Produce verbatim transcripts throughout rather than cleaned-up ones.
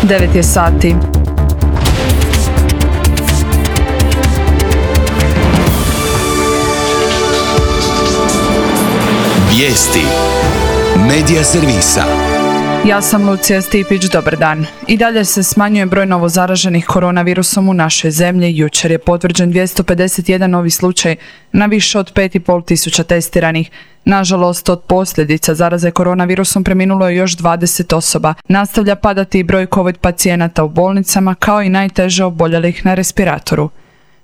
devet je sati. Vijesti Medija servisa. Ja sam Lucija Stipić, dobar dan. I dalje se smanjuje broj novozaraženih koronavirusom u našoj zemlji. Jučer je potvrđen dvjesto pedeset jedan novi slučaj na više od pet i pol tisuća testiranih. Nažalost, od posljedica zaraze koronavirusom preminulo je još dvadeset osoba. Nastavlja padati i broj COVID pacijenata u bolnicama, kao i najteže oboljelih na respiratoru.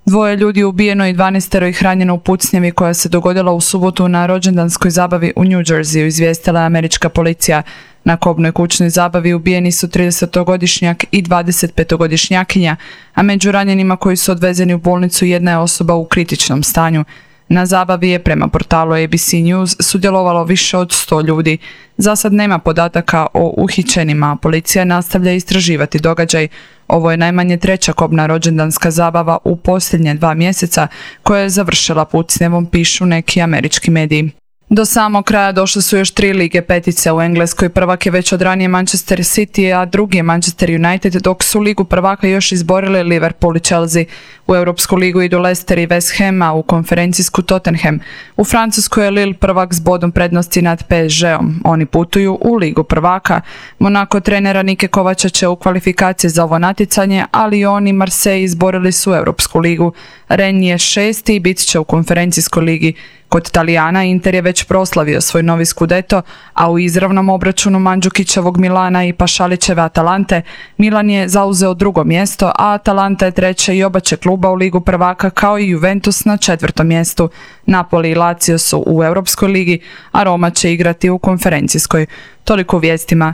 Dvoje ljudi ubijeno i dvanaestero ih ranjeno u pucnjavi koja se dogodila u subotu na rođendanskoj zabavi u New Jerseyu, izvijestila je američka policija. Na kobnoj kućnoj zabavi ubijeni su tridesetogodišnjak i dvadesetpetogodišnjakinja, a među ranjenima koji su odvezeni u bolnicu jedna je osoba u kritičnom stanju. Na zabavi je, prema portalu A B C News, sudjelovalo više od sto ljudi. Za sad nema podataka o uhićenima, a policija nastavlja istraživati događaj. Ovo je najmanje treća kobna rođendanska zabava u posljednje dva mjeseca koja je završila pucnjavom, pišu neki američki mediji. Do samog kraja došle su još tri lige petice u Engleskoj. Prvak je već od ranije Manchester City, a drugi je Manchester United, dok su ligu prvaka još izborili Liverpool i Chelsea. U Europsku ligu idu Leicester i West Ham, a u konferencijsku Tottenham. U Francuskoj je Lille prvak s bodom prednosti nad P S G-om. Oni putuju u ligu prvaka. Monaco trenera Nike Kovača će u kvalifikaciji za ovo natjecanje, ali oni Marseille izborili su Europsku ligu. Rennes je šesti i bit će u konferencijskoj ligi. Kod Talijana Inter je već proslavio svoj novi Scudetto, a u izravnom obračunu Mandžukićevog Milana i Pašalićeve Atalante Milan je zauzeo drugo mjesto, a Atalanta je treće i oba će kluba u ligu prvaka, kao i Juventus na četvrtom mjestu. Napoli i Lazio su u Europskoj ligi, a Roma će igrati u konferencijskoj. Toliko u vijestima.